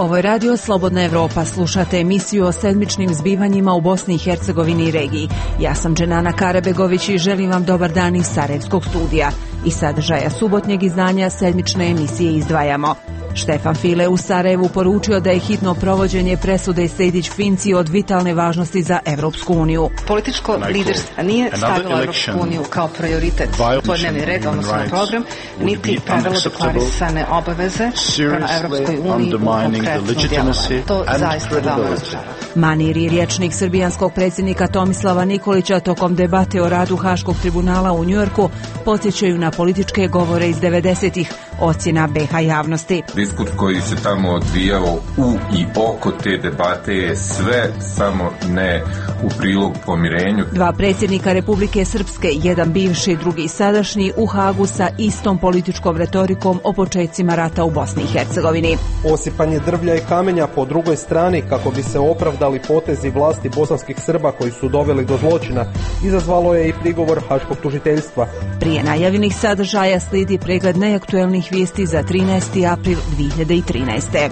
Ovo je Radio Slobodna Evropa. Slušate emisiju o sedmičnim zbivanjima u Bosni i Hercegovini i regiji. Ja sam Dženana Karabegović i želim vam dobar dan iz Sarajevskog studija. Iz sadržaja subotnjeg izdanja sedmične emisije izdvajamo. Štefan File u Sarajevu poručio da je hitno provođenje presude Sejdić-Finci od vitalne važnosti za Evropsku uniju. Političko liderstvo nije stavilo Evropsku uniju kao prioritet svoj dnevni red, odnosno program, niti pravilo deklarisane obaveze prema Evropskoj uniji u konkretnom djelovanju. To zaista veoma razočarava. Manir i rječnik srbijanskog predsjednika Tomislava Nikolića tokom debate o radu Haškog tribunala u Njujorku podsjećaju na političke govore iz 90-ih, ocjena BiH javnosti. Diskurs koji se tamo odvijao u i oko te debate je sve samo ne u prilog pomirenju. Dva predsjednika Republike Srpske, jedan bivši, drugi sadašnji, u Hagu sa istom političkom retorikom o početcima rata u Bosni i Hercegovini. Osipanje drvlja i kamenja po drugoj strani kako bi se opravdali potezi vlasti bosanskih Srba koji su doveli do zločina, izazvalo je i prigovor Haškog tužiteljstva. Prije najavljenih sadržaja slijedi pregled najaktuelnijih vijesti za 13. april 2013.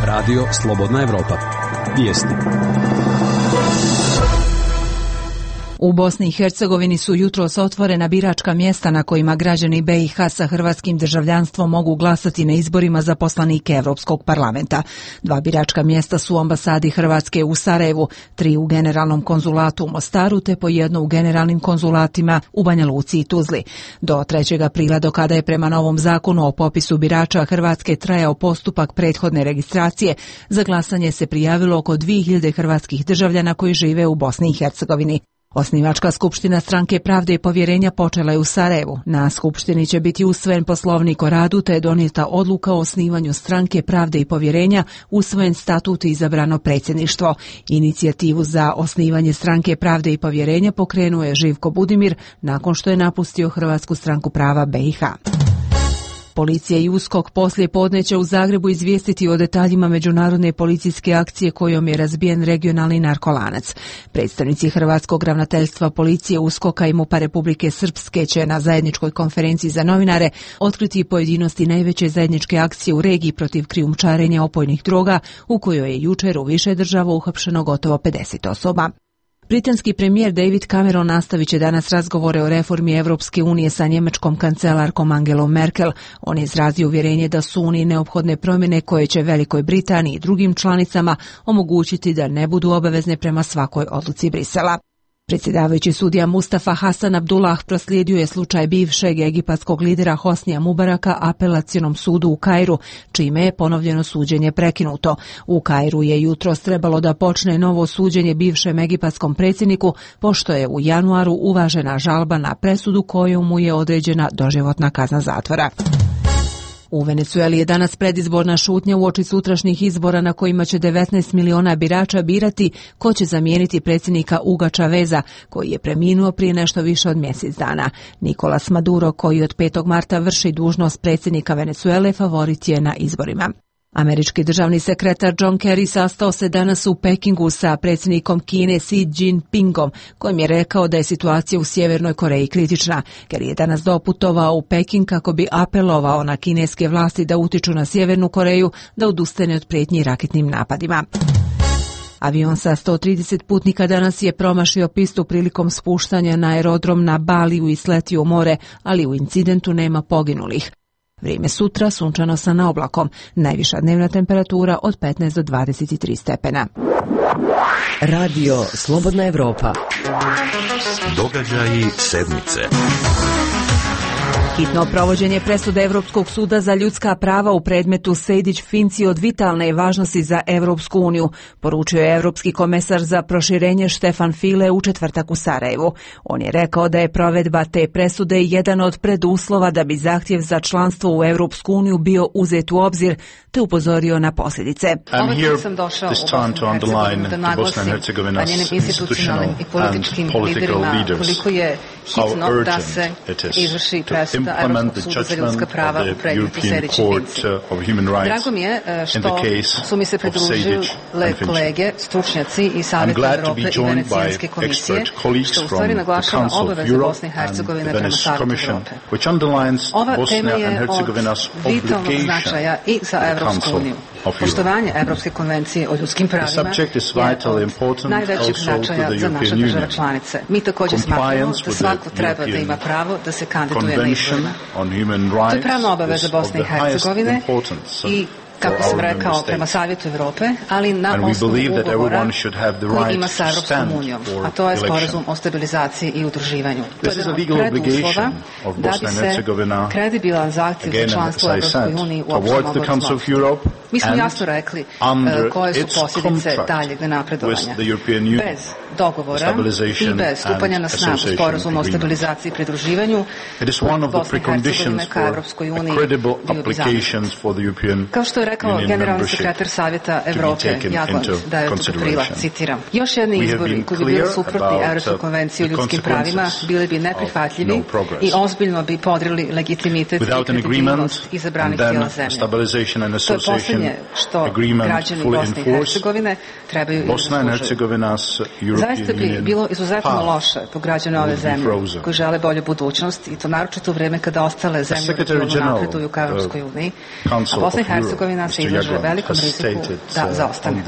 Radio Slobodna Evropa. Vijesti. U Bosni i Hercegovini su jutros otvorena biračka mjesta na kojima građani BiH sa hrvatskim državljanstvom mogu glasati na izborima za poslanike Evropskog parlamenta. Dva biračka mjesta su u ambasadi Hrvatske u Sarajevu, 3 u generalnom konzulatu u Mostaru te po jedno u generalnim konzulatima u Banja Luci i Tuzli. Do 3. aprila, do kada je prema novom zakonu o popisu birača Hrvatske trajao postupak prethodne registracije, za glasanje se prijavilo oko 2000 hrvatskih državljana koji žive u Bosni i Hercegovini. Osnivačka skupština Stranke pravde i povjerenja počela je u Sarajevu. Na skupštini će biti usvojen poslovnik o radu te je donijeta odluka o osnivanju Stranke pravde i povjerenja, usvojen statut i izabrano predsjedništvo. Inicijativu za osnivanje Stranke pravde i povjerenja pokrenuo je Živko Budimir nakon što je napustio Hrvatsku stranku prava BiH. Policija i USKOK poslije podne će u Zagrebu izvijestiti o detaljima međunarodne policijske akcije kojom je razbijen regionalni narkolanac. Predstavnici Hrvatskog ravnateljstva policije, USKOK-a i MUP-a Republike Srpske će na zajedničkoj konferenciji za novinare otkriti pojedinosti najveće zajedničke akcije u regiji protiv krijumčarenja opojnih droga, u kojoj je jučer u više država uhapšeno gotovo 50 osoba. Britanski premijer David Cameron nastavit će danas razgovore o reformi Evropske unije sa njemačkom kancelarkom Angelom Merkel. On je izrazio uvjerenje da su Uniji neophodne promjene koje će Velikoj Britaniji i drugim članicama omogućiti da ne budu obavezne prema svakoj odluci Brisela. Predsjedavajući sudija Mustafa Hasan Abdullah proslijedio je slučaj bivšeg egipatskog lidera Hosnija Mubaraka apelacionom sudu u Kairu, čime je ponovljeno suđenje prekinuto. U Kairu je jutros trebalo da počne novo suđenje bivšem egipatskom predsjedniku, pošto je u januaru uvažena žalba na presudu kojom mu je određena doživotna kazna zatvora. U Venezueli je danas predizborna šutnja uoči sutrašnjih izbora na kojima će 19 miliona birača birati ko će zamijeniti predsjednika Huga Chaveza, koji je preminuo prije nešto više od mjesec dana. Nicolas Maduro, koji od 5. marta vrši dužnost predsjednika Venezuele, favorit je na izborima. Američki državni sekretar John Kerry sastao se danas u Pekingu sa predsjednikom Kine Xi Jinpingom, kojim je rekao da je situacija u Sjevernoj Koreji kritična. Kerry je danas doputovao u Peking kako bi apelovao na kineske vlasti da utiču na Sjevernu Koreju da odustane od prijetnji raketnim napadima. Avion sa 130 putnika danas je promašio pistu prilikom spuštanja na aerodrom na Baliju i sletio u more, ali u incidentu nema poginulih. Vrijeme sutra sunčano sa naoblakom, najviša dnevna temperatura od 15 do 23 stepena. Radio Slobodna Evropa. Događaji sedmice. Hitno provođenje presude Evropskog suda za ljudska prava u predmetu Sejdić-Finci od vitalne je važnosti za Evropsku uniju, poručio je Evropski komesar za proširenje Štefan File u četvrtak u Sarajevu. On je rekao da je provedba te presude jedan od preduslova da bi zahtjev za članstvo u Evropsku uniju bio uzet u obzir, te upozorio na posljedice. Ovaj put sam došao u Bosnu i Hercegovinu da njenim institucionalnim i političkim liderima koliko je hitno da se izvrši presuda Evropskog suda za ljudska prava u predmetu Sejdić i Finci. Drago mi je što su mi se pridružile kolege, stručnjaci i Savjeta Evrope i Venecijanske komisije, što u stvari naglašava obaveze Bosne i Hercegovine prema Savjetu Evrope. Ova tema je od vitalnog značaja i za Evropsku uniju. Poštovanje Evropske konvencije o ljudskim pravima je od najvećeg značaja za naše države članice. Mi također smatramo da svako treba da ima pravo da se kandiduje na izborima. To je pravna obaveza Bosne i Hercegovine i, kako sam rekao, prema Savjetu Evrope, ali na osnovu ugovora koji ima sa Evropskom unijom, a to je sporazum o stabilizaciji i udruživanju. To je preduslova da bi se kredibilan zahtjev za članstvo u Evropskoj uniji uopšte mogao razmotriti. Mi smo jasno rekli koje su posljedice daljeg napredovanja. Bez dogovora i bez stupanja na snagu sporazuma o stabilizaciji i pridruživanju, Bosna i Hercegovina ka Evropskoj uniji bio bi zamrznut. Kao što je rekao generalni sekretar Savjeta Evrope Jagland 9. aprila, citiram: još jedni izbori koji bi bili suprotni Evropskoj konvenciji o ljudskim pravima bili bi neprihvatljivi i ozbiljno bi podrili legitimitet i kredibilnost izabranih tijela zemlje. To je posljednje što građani Bosne i Hercegovine trebaju i zaslužuju. Zaista bi bilo izuzetno loše po građane ove zemlje koji žele bolju budućnost, i to naročito u vreme kada ostale zemlje napreduju ka Evropskoj uniji, a Bosna i Hercegovina se izlaže velikom riziku da zaostane.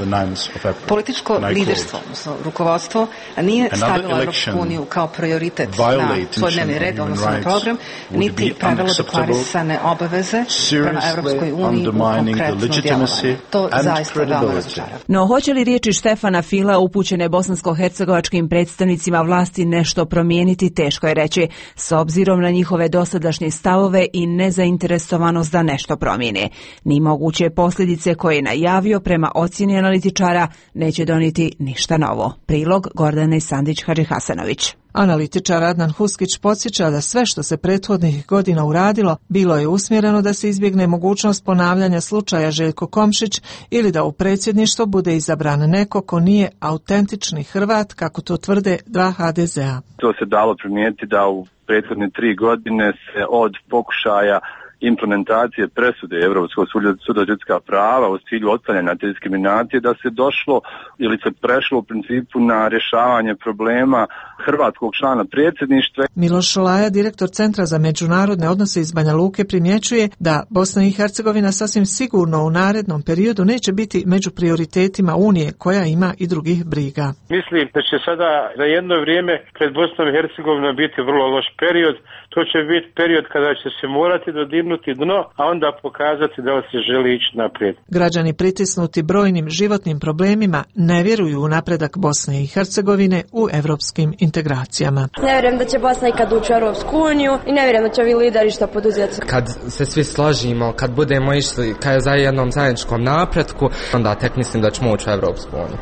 Političko liderstvo, odnosno rukovodstvo, nije stavilo Evropsku uniju kao prioritet na svoj dnevni red, odnosno na program, niti pravilo deklarisane obaveze prema Evropskoj uniji u konkretno djelovanje. To zaista veoma razočarava. No, hoće li riječi Štefana Fila upućene bosansko-hercegovačkim predstavnicima vlasti nešto promijeniti, teško je reći, s obzirom na njihove dosadašnje stavove i nezainteresovanost da nešto promijene. Ni moguće posljedice koje je najavio prema ocjeni analitičara neće donijeti ništa novo. Prilog Gordane Sandić-Hadžihasanović. Analitičar Adnan Huskić podsjeća da sve što se prethodnih godina uradilo bilo je usmjereno da se izbjegne mogućnost ponavljanja slučaja Željko Komšić ili da u predsjedništvo bude izabran neko ko nije autentični Hrvat, kako to tvrde dva HDZ-a. To se dalo primijetiti da u prethodne 3 godine se od pokušaja implementacije presude Europskog suda za ljudska prava u cilju otklanjanja te diskriminacije da se došlo ili se prešlo u principu na rješavanje problema hrvatskog člana predsjedništva. Miloš Šolaja, direktor Centra za međunarodne odnose iz Banja Luke, primjećuje da Bosna i Hercegovina sasvim sigurno u narednom periodu neće biti među prioritetima Unije, koja ima i drugih briga. Mislim da će sada za jedno vrijeme pred Bosnom i Hercegovinom biti vrlo loš period. To će biti period kada će se morati dodirnuti dno, a onda pokazati da se želi ići naprijed. Građani pritisnuti brojnim životnim problemima ne vjeruju u napredak Bosne i Hercegovine u evropskim integracijama. Ne vjerujem da će Bosna ikad ući u Europsku uniju i ne vjerujem da će ovi lideri što poduzeti. Kad se svi složimo, kad budemo išli za jednom zajedničkom napretku, onda tek mislim da ćemo ući u Europsku uniju.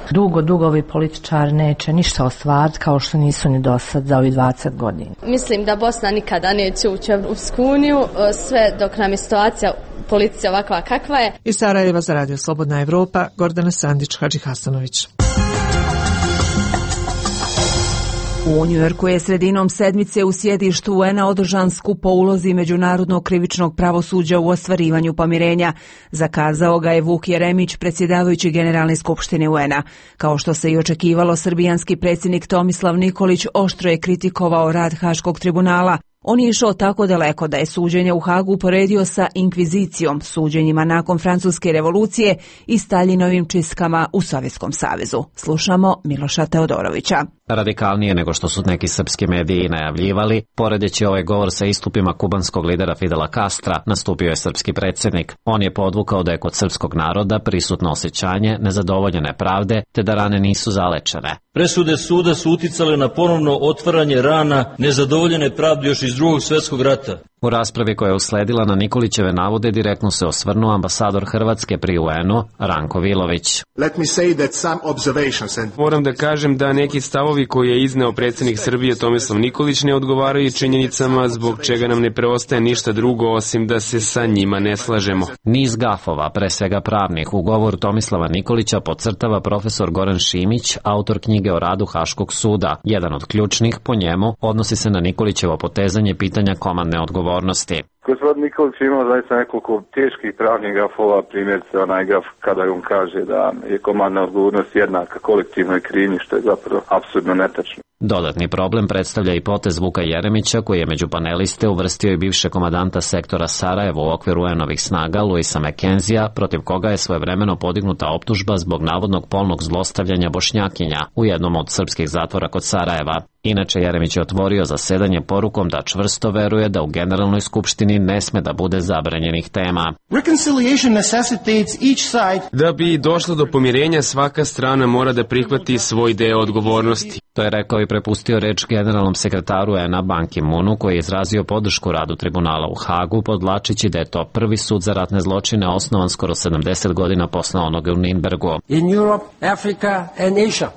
Dugo ovi političari neće ništa ostvariti kao što nisu ni do sad za ovih 20 godina. Mislim da Bosna nikada neće ući u Europsku uniju, sve dok nam je situacija policija ovakva kakva je. Iz Sarajeva za Radio Slobodna Evropa, Gordana Sandić-Hadžihasanović. U Njujorku je sredinom sedmice u sjedištu UN-a održan skup po ulozi međunarodnog krivičnog pravosuđa u ostvarivanju pomirenja. Zakazao ga je Vuk Jeremić, predsjedavajući Generalne skupštine UN-a. Kao što se i očekivalo, srbijanski predsjednik Tomislav Nikolić oštro je kritikovao rad Haškog tribunala. On je išao tako daleko da je suđenje u Hagu uporedio sa inkvizicijom, suđenjima nakon Francuske revolucije i Staljinovim čistkama u Sovjetskom savezu. Slušamo Miloša Teodorovića. Radikalnije nego što su neki srpski mediji najavljivali, poredeći ovaj govor sa istupima kubanskog lidera Fidela Castra, nastupio je srpski predsjednik. On je podvukao da je kod srpskog naroda prisutno osjećanje nezadovoljene pravde, te da rane nisu zalečene. Presude suda su uticale na ponovno otvaranje rana nezadovoljene pravde još iz Drugog svjetskog rata. U raspravi koja je usledila na Nikolićeve navode direktno se osvrnuo ambasador Hrvatske pri UN-u Ranko Vilović. Moram da kažem da neki stavovi koje je izneo predsjednik Srbije Tomislav Nikolić ne odgovaraju činjenicama, zbog čega nam ne preostaje ništa drugo osim da se sa njima ne slažemo. Niz gafova, pre svega pravnih, u govoru Tomislava Nikolića podcrtava profesor Goran Šimić, autor knjige o radu Haškog suda. Jedan od ključnih, po njemu, odnosi se na Nikolićevo potezanje pitanja komandne odgovornosti. Gospodin Nikolić imao zaista nekoliko teških pravnih gafova, primjerice onaj gaf kada on kaže da je komandna odgovornost jednaka kolektivnoj krivnji, što je zapravo apsurdno netačno. Dodatni problem predstavlja i potez Vuka Jeremića, koji je među paneliste uvrstio i bivše komadanta sektora Sarajevo u okviru UN-ovih snaga Luisa McKenzija, protiv koga je svojevremeno podignuta optužba zbog navodnog polnog zlostavljanja Bošnjakinja u jednom od srpskih zatvora kod Sarajeva. Inače, Jeremić je otvorio zasedanje porukom da čvrsto veruje da u Generalnoj skupštini ne sme da bude zabranjenih tema. Da bi došlo do pomirenja, svaka strana mora da prihvati svoj deo odgovornosti. To je rekao i prepustio reč generalnom sekretaru UN-a Ban Ki-moonu, koji je izrazio podršku radu tribunala u Hagu, podvlačići da je to prvi sud za ratne zločine osnovan skoro 70 godina posle onoga u Nürnbergu.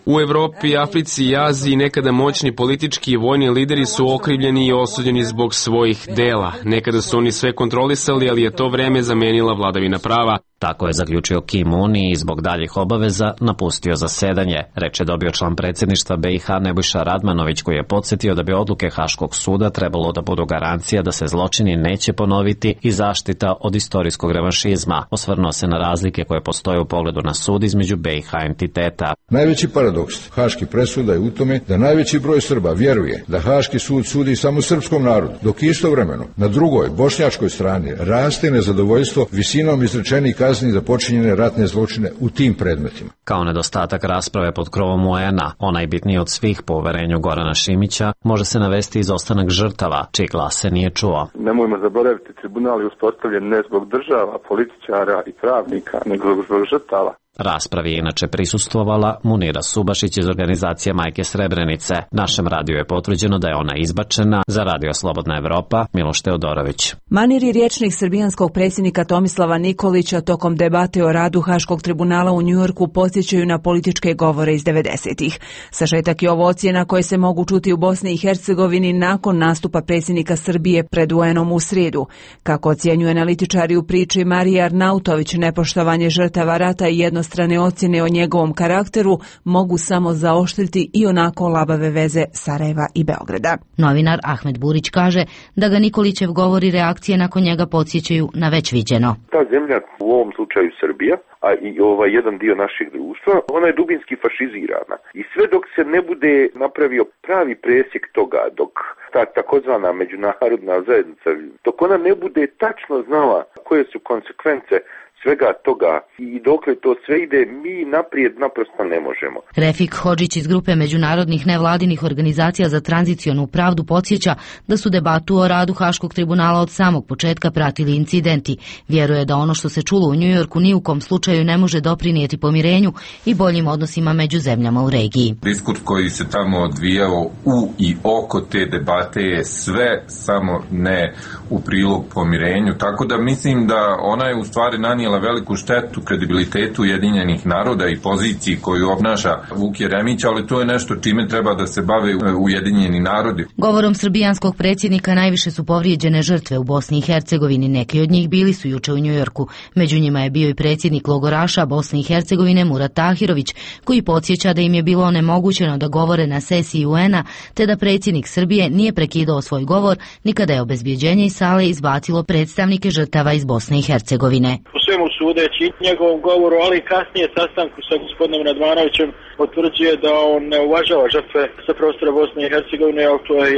U Evropi, Africi i Aziji nekada moćni politički i vojni lideri su okrivljeni i osuđeni zbog svojih dela. Nekada su oni sve kontrolisali, ali je to vreme zamenila vladavina prava. Tako je zaključio Ki-moon i zbog daljih obaveza napustio zasedanje. Reč je dobio član predsjedništva BiH Nebojša Radmanović, koji je podsjetio da bi odluke Haškog suda trebalo da budu garancija da se zločini neće ponoviti i zaštita od istorijskog revanšizma. Osvrnuo se na razlike koje postoje u pogledu na sud između BiH entiteta. Najveći paradoks haških presuda je u tome da najveći broj Srba vjeruje da Haški sud sudi samo srpskom narodu, dok istovremeno na drugoj, bošnjačkoj strani raste nezadovoljstvo visinom izrečenih kazni za počinjene ratne zločine u tim predmetima. Kao nedostatak rasprave pod krovom UN-a, onajbitniji od svih po uverenju Gorana Šimića, može se navesti izostanak žrtava, čiji glas se nije čuo. Nemojmo zaboraviti, tribunal je uspostavljen ne zbog država, političara i pravnika, nego zbog žrtava. Raspravi je inače prisustvovala Munira Subašić iz organizacije Majke Srebrenice. Našem radiju je potvrđeno da je ona izbačena. Za Radio Slobodna Evropa, Miloš Teodorović. Manir i rječnik srbijanskog predsjednika Tomislava Nikolića tokom debate o radu Haškog tribunala u Njujorku podsjećaju na političke govore iz 90-ih. Sažetak je ovo ocjena koje se mogu čuti u Bosni i Hercegovini nakon nastupa predsjednika Srbije pred UN-om u srijedu. Kako ocjenjuje analitičari u priči Marija Arnautović, nepoštovanje žrtava rata i jednostrane ocjene o njegovom karakteru mogu samo zaoštriti i onako labave veze Sarajeva i Beograda. Novinar Ahmed Burić kaže da ga Nikolićev govor i reakcije nakon njega podsjećaju na već viđeno. Ta zemlja, u ovom slučaju Srbija, a i jedan dio našeg društva, ona je dubinski fašizirana. I sve dok se ne bude napravio pravi presjek toga, dok ta takozvana međunarodna zajednica, dok ona ne bude tačno znala koje su konsekvence svega toga i dokle to sve ide, mi naprijed naprosto ne možemo. Refik Hodžić iz grupe međunarodnih nevladinih organizacija za tranzicionu pravdu podsjeća da su debatu o radu Haškog tribunala od samog početka pratili incidenti. Vjeruje da ono što se čulo u Njujorku ni u kom slučaju ne može doprinijeti pomirenju i boljim odnosima među zemljama u regiji. Diskurs koji se tamo odvijao u i oko te debate je sve samo ne u prilog pomirenju, tako da mislim da ona je u stvari nanijela veliku štetu kredibilitetu Ujedinjenih naroda i poziciji koju obnaša Vuk Jeremić, ali to je nešto čime treba da se bave Ujedinjeni narodi. Govorom srbijanskog predsjednika najviše su povrijeđene žrtve u Bosni i Hercegovini. Neki od njih bili su juče u Njujorku. Među njima je bio i predsjednik logoraša Bosne i Hercegovine Murat Tahirović, koji podsjeća da im je bilo onemogućeno da govore na sesiji UN-a, te da predsjednik Srbije nije prekidao svoj govor ni kada je obezbjeđenje iz sale izbacilo predstavnike žrtava iz Bosne i Hercegovine. Svemu sudeći njegovom govoru, ali kasnije sastanku sa gospodinom Radmanovićem potvrđuje da on ne uvažava žrtve sa prostora Bosne i Hercegovine, ali to je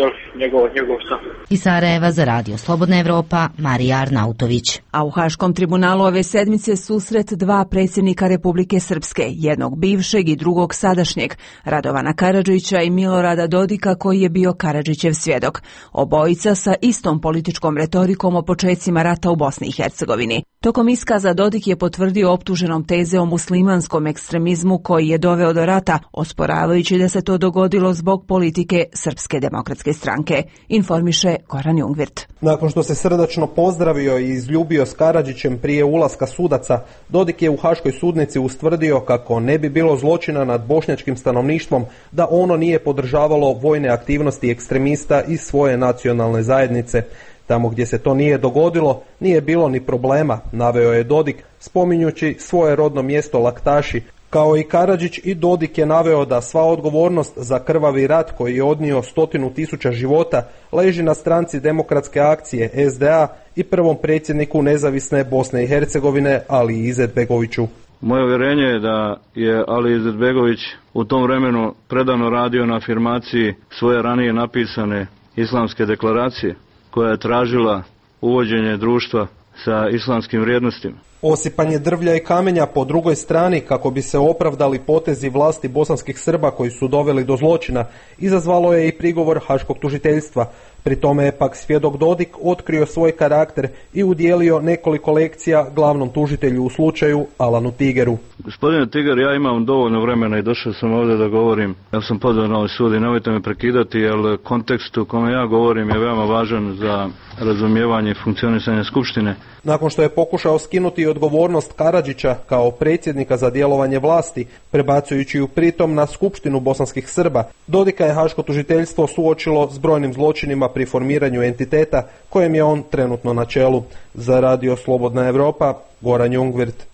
njegov stav. Iz Sarajeva za Radio Slobodna Evropa, Marija Arnautović. A u Haškom tribunalu ove sedmice susret dva predsjednika Republike Srpske, jednog bivšeg i drugog sadašnjeg, Radovana Karadžića i Milorada Dodika, koji je bio Karadžićev svjedok. Obojica sa istom političkom retorikom o počecima rata u Bosni i Hercegovini. Tokom iskaza dokaza, Dodik je potvrdio optuženom teze o muslimanskom ekstremizmu koji je doveo do rata, osporavajući da se to dogodilo zbog politike Srpske demokratske stranke, informiše Goran Jungwirth. Nakon što se srdačno pozdravio i izljubio s Karadžićem prije ulaska sudaca, Dodik je u Haškoj sudnici ustvrdio kako ne bi bilo zločina nad bošnjačkim stanovništvom da ono nije podržavalo vojne aktivnosti ekstremista iz svoje nacionalne zajednice. Tamo gdje se to nije dogodilo, nije bilo ni problema, naveo je Dodik, spominjući svoje rodno mjesto Laktaši. Kao i Karadžić, i Dodik je naveo da sva odgovornost za krvavi rat koji je odnio 100.000 života leži na stranci Demokratske akcije SDA i prvom predsjedniku nezavisne Bosne i Hercegovine Ali Izetbegoviću. Moje uvjerenje je da je Ali Izetbegović u tom vremenu predano radio na afirmaciji svoje ranije napisane islamske deklaracije, koja je tražila uvođenje društva sa islamskim vrijednostima. Osipanje drvlja i kamenja po drugoj strani kako bi se opravdali potezi vlasti bosanskih Srba koji su doveli do zločina izazvalo je i prigovor Haškog tužiteljstva. Pri tome je pak svjedok Dodik otkrio svoj karakter i udjelio nekoliko lekcija glavnom tužitelju u slučaju Alanu Tigeru. Gospodine Tiger, ja imam dovoljno vremena i došao sam ovdje da govorim. Ja sam pozvan na ovaj sud i nemojte me prekidati, jer kontekst u kome ja govorim je veoma važan za razumijevanje i funkcionisanje Skupštine. Nakon što je pokušao skinuti odgovornost Karadžića kao predsjednika za djelovanje vlasti, prebacujući ju pritom na Skupštinu bosanskih Srba, Dodika je Haško tužiteljstvo suočilo s brojnim zločinima pri formiranju entiteta kojem je on trenutno na čelu. Za Radio Slobodna Evropa, Goran Jungwirth.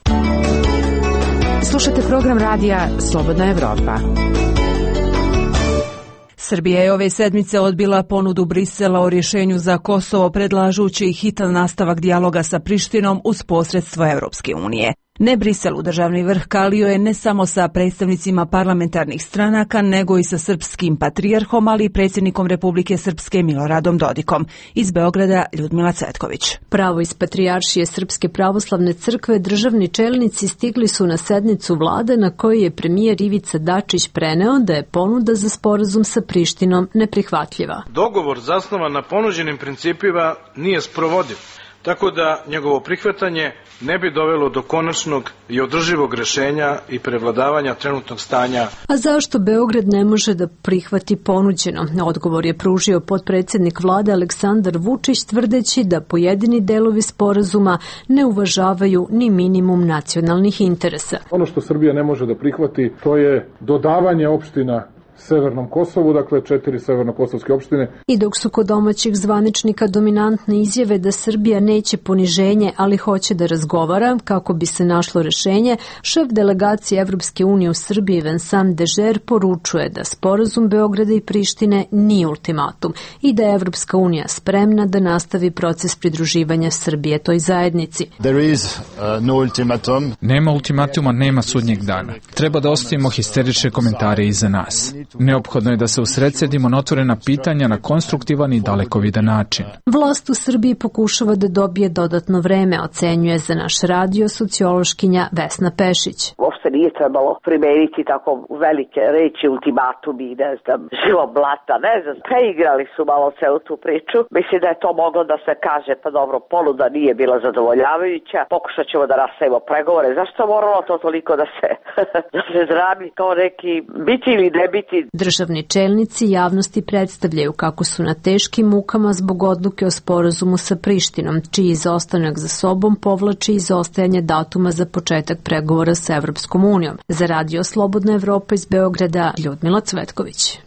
Slušajte program radija Slobodna Evropa. Srbija je ove sedmice odbila ponudu Brisela o rješenju za Kosovo, predlažući hitan nastavak dijaloga sa Prištinom uz posredstvo Europske unije. Ne Briselu, državni vrh kalio je ne samo sa predstavnicima parlamentarnih stranaka, nego i sa srpskim patrijarhom, ali i predsjednikom Republike Srpske Miloradom Dodikom. Iz Beograda Ljudmila Cvetković. Pravo iz Patrijaršije Srpske pravoslavne crkve državni čelnici stigli su na sednicu vlade na kojoj je premijer Ivica Dačić preneo da je ponuda za sporazum sa Prištinom neprihvatljiva. Dogovor zasnovan na ponuđenim principima nije sprovodiv, tako da njegovo prihvatanje ne bi dovelo do konačnog i održivog rješenja i prevladavanja trenutnog stanja. A zašto Beograd ne može da prihvati ponuđeno? Odgovor je pružio potpredsjednik vlade Aleksandar Vučić, tvrdeći da pojedini delovi sporazuma ne uvažavaju ni minimum nacionalnih interesa. Ono što Srbija ne može da prihvati, to je dodavanje opština Severnom Kosovu, dakle 4 severnokosovske opštine. I dok su kod domaćih zvaničnika dominantne izjave da Srbija neće poniženje, ali hoće da razgovara kako bi se našlo rješenje, šef delegacije Evropske unije u Srbiji Vincent Dežer poručuje da sporazum Beograda i Prištine nije ultimatum i da je Evropska unija spremna da nastavi proces pridruživanja Srbije toj zajednici. No ultimatum. Nema ultimatuma, nema sudnjeg dana. Treba da ostavimo histerične komentare iza nas. Neophodno je da se usredsredimo na otvorena pitanja na konstruktivan i dalekovidan način. Vlast u Srbiji pokušava da dobije dodatno vreme, ocenjuje za naš radio sociološkinja Vesna Pešić. Uopšte nije trebalo primeniti tako velike reči, ultimatumi, živo blata, preigrali su malo celu tu priču. Mislim da je to moglo da se kaže, pa dobro, ponuda nije bila zadovoljavajuća, pokušat ćemo da nastavimo pregovore. Zašto moralo to toliko da se drami kao neki biti ili ne biti? Državni čelnici javnosti predstavljaju kako su na teškim mukama zbog odluke o sporazumu sa Prištinom, čiji izostanak za sobom povlači izostajanje datuma za početak pregovora sa Evropskom unijom. Za Radio Slobodna Evropa iz Beograda, Ljudmila Cvetković.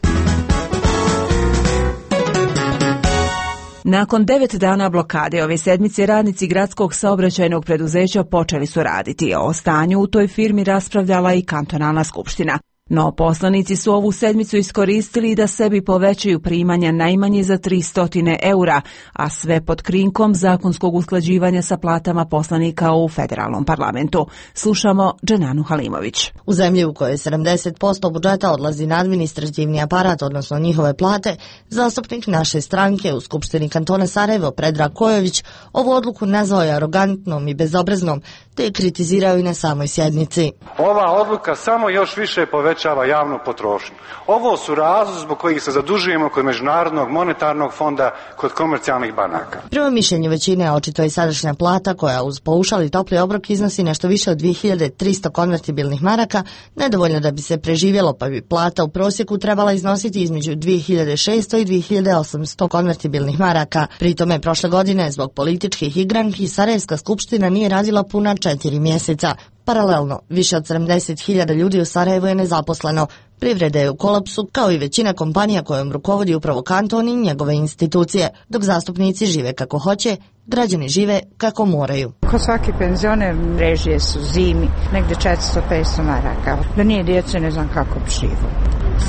Nakon 9 dana blokade ove sedmice radnici gradskog saobraćajnog preduzeća počeli su raditi, a o stanju u toj firmi raspravljala i kantonalna skupština. No poslanici su ovu sedmicu iskoristili da sebi povećaju primanja najmanje za 300 eura, a sve pod krinkom zakonskog usklađivanja sa platama poslanika u federalnom parlamentu. Slušamo Dženanu Halimović. U zemlji u kojoj 70% budžeta odlazi na administrativni aparat, odnosno njihove plate, zastupnik naše stranke u Skupštini kantona Sarajevo Predrag Kojović ovu odluku nazvao je arogantnom i bezobraznom, te je kritizirao i na samoj sjednici. Ova odluka samo još više povećava javnu potrošnju. Ovo su razlozi zbog kojih se zadužujemo kod Međunarodnog monetarnog fonda, kod komercijalnih banaka. Prema mišljenju većine očito je sadašnja plata, koja uz paušal i topli obrok iznosi nešto više od 2300 konvertibilnih maraka, nedovoljno da bi se preživjelo, pa bi plata u prosjeku trebala iznositi između 2600 i 2800 konvertibilnih maraka. Pri tome prošle godine zbog političkih igranki Sarajevska skupština nije radila puna 4 mjeseca. Paralelno, više od 70.000 ljudi u Sarajevu je nezaposleno. Privreda je u kolapsu, kao i većina kompanija kojom rukovodi upravo kanton i njegove institucije. Dok zastupnici žive kako hoće, građani žive kako moraju. Ko svaki penzioner, režije su zimi, negde 400-500 maraka. Da nije djece, ne znam kako bi živo.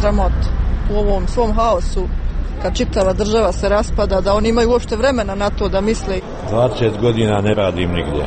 Sramot u ovom svom haosu, kad čitava država se raspada, da oni imaju uopšte vremena na to da misle. 20 godina ne radim nigdje.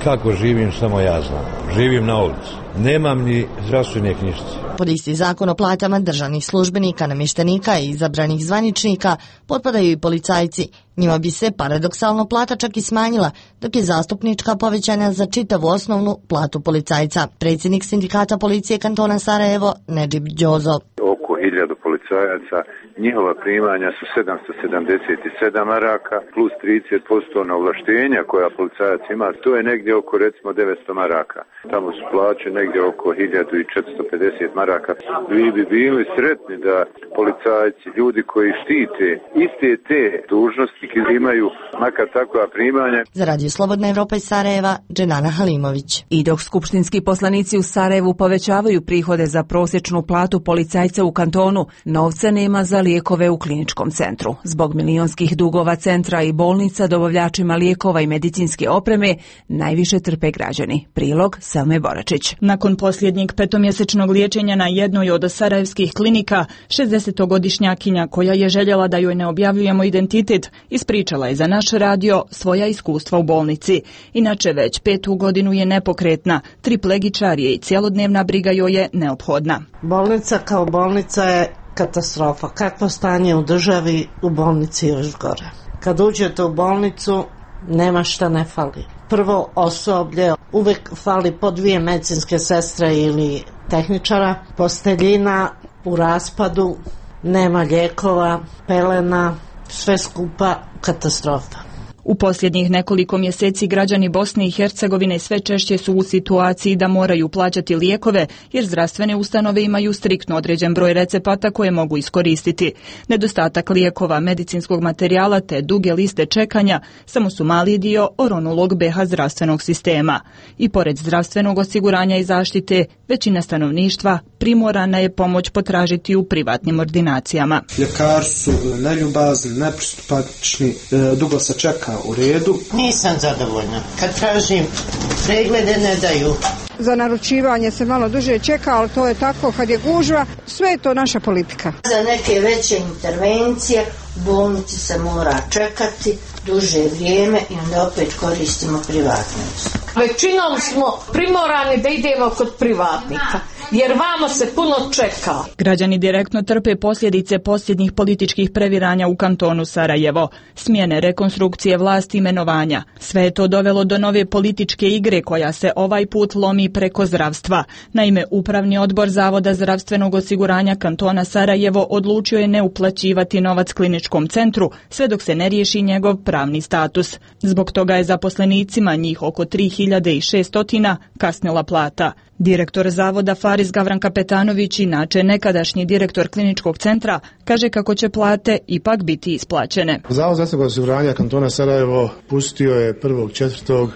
Kako živim, samo ja znam. Živim na ulici. Nemam ni zdravstvene knjižice. Pod isti zakon o platama državnih službenika, namještenika i izabranih zvaničnika potpadaju i policajci. Njima bi se paradoksalno plata čak i smanjila, dok je zastupnička povećana za čitavu osnovnu platu policajca. Predsjednik sindikata policije kantona Sarajevo, Nedžib Đozo. Oko 1000 policajaca, njihova primanja su 777 maraka plus 30% na ovlaštenja koja policajac ima. To je negdje oko recimo 900 maraka. Tamo su plaće negdje oko 1450 maraka. Vi bi bili sretni da policajci, ljudi koji štite iste te dužnostnike imaju makar takva primanja. Za Radio Slobodna Evropa iz Sarajeva, Dženana Halimović. I dok skupštinski poslanici u Sarajevu povećavaju prihode za prosječnu platu policajca u kantonu, novca nema za lijekove u kliničkom centru. Zbog milionskih dugova centra i bolnica dobavljačima lijekova i medicinske opreme najviše trpe građani. Prilog Selme Boračić. Nakon posljednjeg petomjesečnog liječenja na jednoj od sarajevskih klinika, 60-godišnjakinja koja je željela da joj ne objavljujemo identitet, ispričala je za naš radio svoja iskustva u bolnici. Inače već 5. godinu je nepokretna, triplegičar je i cjelodnevna briga joj je neophodna. Bolnica kao bolnica je katastrofa. Kakvo stanje u državi, u bolnici još gore. Kad uđete u bolnicu, nema šta ne fali. Prvo osoblje, uvijek fali po 2 medicinske sestre ili tehničara, posteljina u raspadu, nema lijekova, pelena, sve skupa katastrofa. U posljednjih nekoliko mjeseci građani Bosne i Hercegovine sve češće su u situaciji da moraju plaćati lijekove, jer zdravstvene ustanove imaju striktno određen broj recepata koje mogu iskoristiti. Nedostatak lijekova, medicinskog materijala te duge liste čekanja samo su mali dio oronulog BiH zdravstvenog sistema. I pored zdravstvenog osiguranja i zaštite, većina stanovništva primorana je pomoć potražiti u privatnim ordinacijama. Ljekari su neljubazni, nepristupačni, dugo se čeka u redu. Nisam zadovoljna. Kad tražim preglede ne daju. Za naručivanje se malo duže čeka, ali to je tako kad je gužva, sve je to naša politika. Za neke veće intervencije u bolnici se mora čekati duže vrijeme i onda opet koristimo privatne usluge. Većinom smo primorani da idemo kod privatnika, jer vamo se puno čeka. Građani direktno trpe posljedice posljednjih političkih previranja u kantonu Sarajevo, smjene, rekonstrukcije vlasti, imenovanja. Sve je to dovelo do nove političke igre koja se ovaj put lomi preko zdravstva. Naime, Upravni odbor Zavoda zdravstvenog osiguranja kantona Sarajevo odlučio je ne uplaćivati novac kliničkom centru sve dok se ne riješi njegov pravni status. Zbog toga je zaposlenicima, njih oko 3600, kasnila plata. Direktor Zavoda Faris Gavran Kapetanović, inače nekadašnji direktor kliničkog centra, kaže kako će plate ipak biti isplaćene. Zavod zdravstvenog osiguranja kantona Sarajevo pustio je 1.4.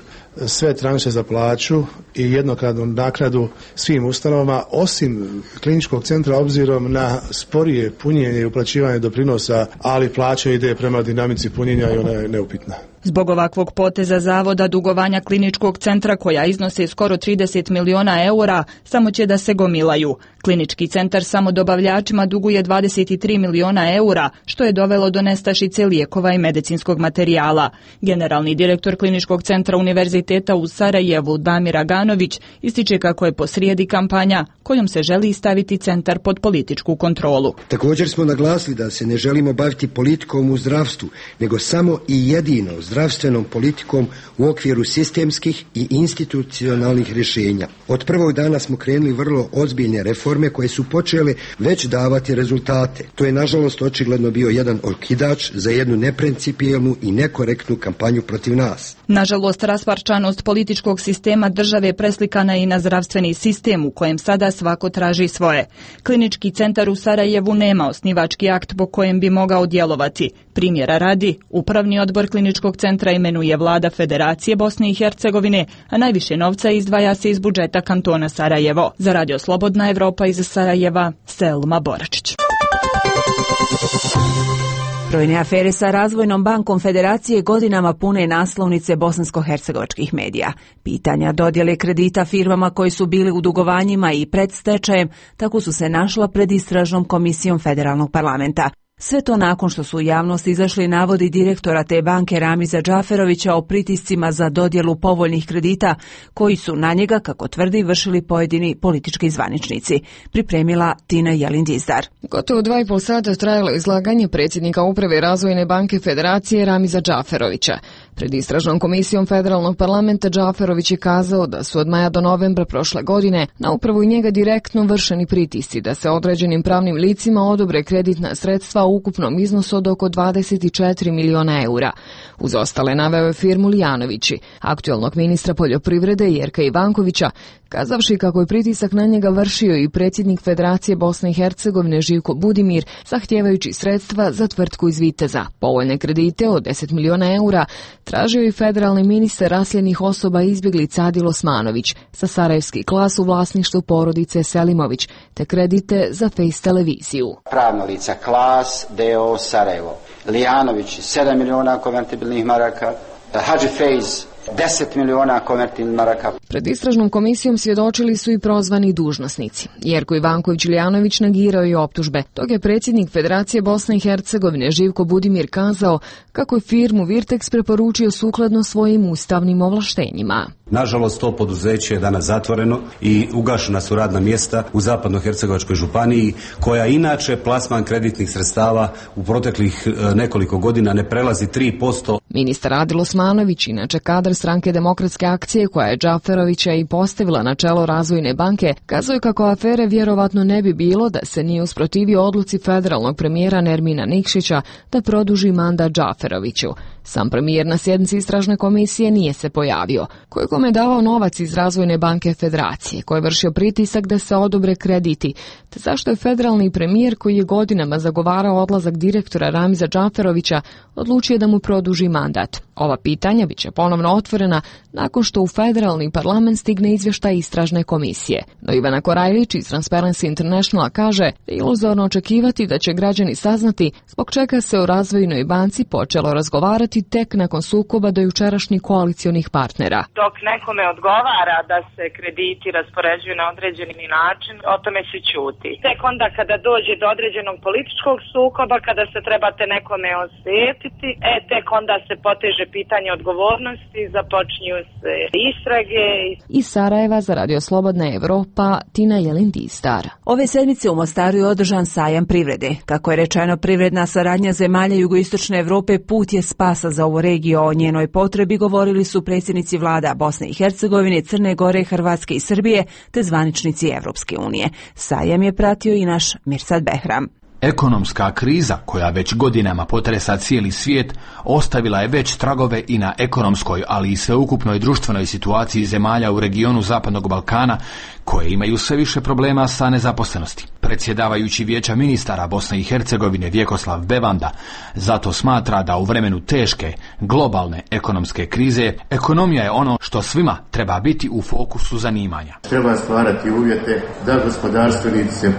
sve tranše za plaću i jednokratnu naknadu svim ustanovama, osim kliničkog centra obzirom na sporije punjenje i uplaćivanje doprinosa, ali plaća ide prema dinamici punjenja i ona je neupitna. Zbog ovakvog poteza zavoda dugovanja kliničkog centra, koja iznose skoro 30 miliona eura, samo će da se gomilaju. Klinički centar samo dobavljačima duguje 23 miliona eura, što je dovelo do nestašice lijekova i medicinskog materijala. Generalni direktor kliničkog centra Univerziteta u Sarajevu, Damir Aganović, Vuljanović ističe kako je posrijedi kampanja kojom se želi staviti centar pod političku kontrolu. Također smo naglasili da se ne želimo baviti politikom u zdravstvu, nego samo i jedino zdravstvenom politikom u okviru sistemskih i institucionalnih rješenja. Od prvog dana smo krenuli vrlo ozbiljne reforme koje su počele već davati rezultate. To je nažalost očigledno bio jedan okidač za jednu neprincipijelnu i nekorektnu kampanju protiv nas. Nažalost, rasparčanost političkog sistema države preslikana je i na zdravstveni sistem u kojem sada svako traži svoje. Klinički centar u Sarajevu nema osnivački akt po kojem bi mogao djelovati. Primjera radi, upravni odbor kliničkog centra imenuje vlada Federacije Bosne i Hercegovine, a najviše novca izdvaja se iz budžeta kantona Sarajevo. Za Radio Slobodna Evropa iz Sarajeva, Selma Boračić. Brojne afere sa Razvojnom bankom Federacije godinama pune naslovnice bosansko-hercegovačkih medija. Pitanja dodjele kredita firmama koji su bili u dugovanjima i pred stečajem tako su se našla pred istražnom komisijom Federalnog parlamenta. Sve to nakon što su u javnost izašli navodi direktora te banke Ramiza Džaferovića o pritiscima za dodjelu povoljnih kredita koji su na njega, kako tvrdi, vršili pojedini politički zvaničnici. Pripremila Tina Jelin-Dizdar. Gotovo 2,5 sata trajalo izlaganje predsjednika Uprave Razvojne banke Federacije Ramiza Džaferovića. Pred istražnom komisijom Federalnog parlamenta Džaferović je kazao da su od maja do novembra prošle godine na upravu i njega direktno vršeni pritisci da se određenim pravnim licima odobre kreditna sredstva u ukupnom iznosu od oko 24 miliona eura. Uz ostale naveo je firmu Lijanovići, aktualnog ministra poljoprivrede Jerka Ivankovića, kazavši kako je pritisak na njega vršio i predsjednik Federacije Bosne i Hercegovine Živko Budimir, zahtijevajući sredstva za tvrtku iz Viteza. Povoljne kredite od 10 miliona eura tražio i federalni ministar raseljenih osoba izbjeglica Adil Osmanović za sarajevski klas u vlasništvu porodice Selimović, te kredite za Face televiziju. Pravna lica Klas, D.O. Sarajevo, Lijanović 7 miliona konvertibilnih maraka, Hadži Fejz 10 miliona konvertibilnih maraka. Pred istražnom komisijom svjedočili su i prozvani dužnosnici. Jerko Ivanković Lijanović negirao i optužbe. Tog je predsjednik Federacije Bosne i Hercegovine Živko Budimir kazao kako je firmu Virtex preporučio sukladno svojim ustavnim ovlaštenjima. Nažalost, to poduzeće je danas zatvoreno i ugašena su radna mjesta u Zapadno-hercegovačkoj županiji, koja inače plasman kreditnih sredstava u proteklih nekoliko godina ne prelazi 3%. Ministar Adil Osmanović, inače kadar Stranke demokratske akcije koja je Džaferovića i postavila na čelo Razvojne banke, kazao je kako afere vjerovatno ne bi bilo da se nije usprotivio odluci federalnog premijera Nermina Nikšića da produži mandat Džaferoviću. Sam premijer na sjednici istražne komisije nije se pojavio. Kome je davao novac iz Razvojne banke Federacije, koji je vršio pritisak da se odobre krediti, te zašto je federalni premijer koji je godinama zagovarao odlazak direktora Ramiza Džaferovića odlučio da mu produži mandat. Ova pitanja bit će ponovno otvorena nakon što u federalni parlament stigne izvještaj istražne komisije. No Ivana Korajlić iz Transparency Internationala kaže da je iluzorno očekivati da će građani saznati zbog čega se u Razvojnoj banci počelo razgovarati tek nakon sukoba do jučerašnjih koalicionih partnera. Dok nekome odgovara da se krediti raspoređuju na određeni način, o tome se ćuti. Tek onda kada dođe do određenog političkog sukoba, kada se trebate nekome osvetiti, tek onda se poteže pitanje odgovornosti, započinju se istrage. Iz Sarajeva za Radio Slobodna Evropa, Tina Jelin-Dizdar. Ove sedmice u Mostaru je održan sajam privrede. Kako je rečeno, privredna saradnja zemalja jugoistočne Evrope put je spasa za ovu regiju. O njenoj potrebi govorili su predsjednici vlada Bosne i Hercegovine, Crne Gore, Hrvatske i Srbije, te zvaničnici Evropske unije. Sajam je pratio i naš Mirsad Behram. Ekonomska kriza, koja već godinama potresa cijeli svijet, ostavila je već tragove i na ekonomskoj, ali i sveukupnoj društvenoj situaciji zemalja u regionu Zapadnog Balkana, koje imaju sve više problema sa nezaposlenosti. Predsjedavajući Vijeća ministara Bosne i Hercegovine Vjekoslav Bevanda zato smatra da u vremenu teške, globalne ekonomske krize, ekonomija je ono što svima treba biti u fokusu zanimanja. Treba stvarati uvjete da gospodarstvenici se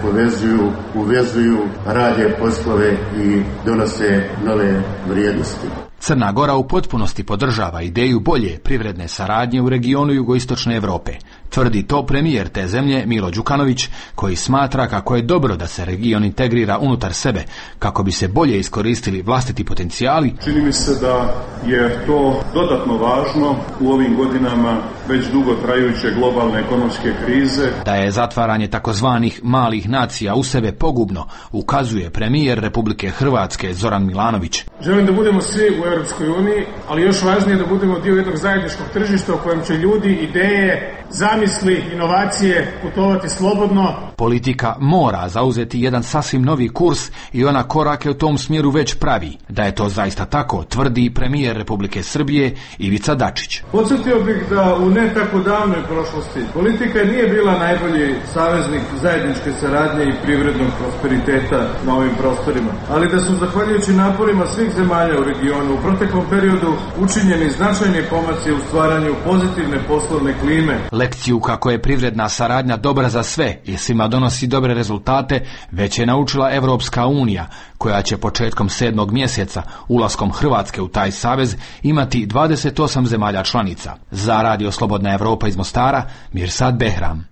uvezuju, rade poslove i donose nove vrijednosti. Crna Gora u potpunosti podržava ideju bolje privredne saradnje u regionu jugoistočne Europe. Tvrdi to premijer te zemlje Milo Đukanović, koji smatra kako je dobro da se region integrira unutar sebe, kako bi se bolje iskoristili vlastiti potencijali. Čini mi se da je to dodatno važno u ovim godinama već dugo trajuće globalne ekonomske krize. Da je zatvaranje takozvanih malih nacija u sebe pogubno, ukazuje premijer Republike Hrvatske Zoran Milanović. Želim da budemo svi u Europskoj uniji, ali još važnije da budemo dio jednog zajedničkog tržišta u kojem će ljudi, ideje, zamisli, inovacije putovati slobodno. Politika mora zauzeti jedan sasvim novi kurs i ona korake u tom smjeru već pravi. Da je to zaista tako, tvrdi premijer Republike Srbije Ivica Dačić. Podsjetio bih da u ne tako davnoj prošlosti politika nije bila najbolji saveznik zajedničke saradnje i privrednog prosperiteta na ovim prostorima, ali da su zahvaljujući naporima svih zemalja u regionu u proteklom periodu učinjeni značajni pomaci u stvaranju pozitivne poslovne klime. Lekciju kako je privredna saradnja dobra za sve i svima donosi dobre rezultate već je naučila Evropska unija, koja će početkom 7. mjeseca ulaskom Hrvatske u taj savez imati 28 zemalja članica. Za Radio Slobodna Evropa iz Mostara, Mirsad Behram.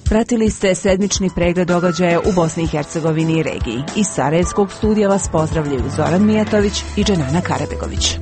Pratili ste sedmični pregled događaja u Bosni i Hercegovini i regiji. Iz Sarajevskog studija vas pozdravljaju Zoran Mijatović i Dženana Karabegović.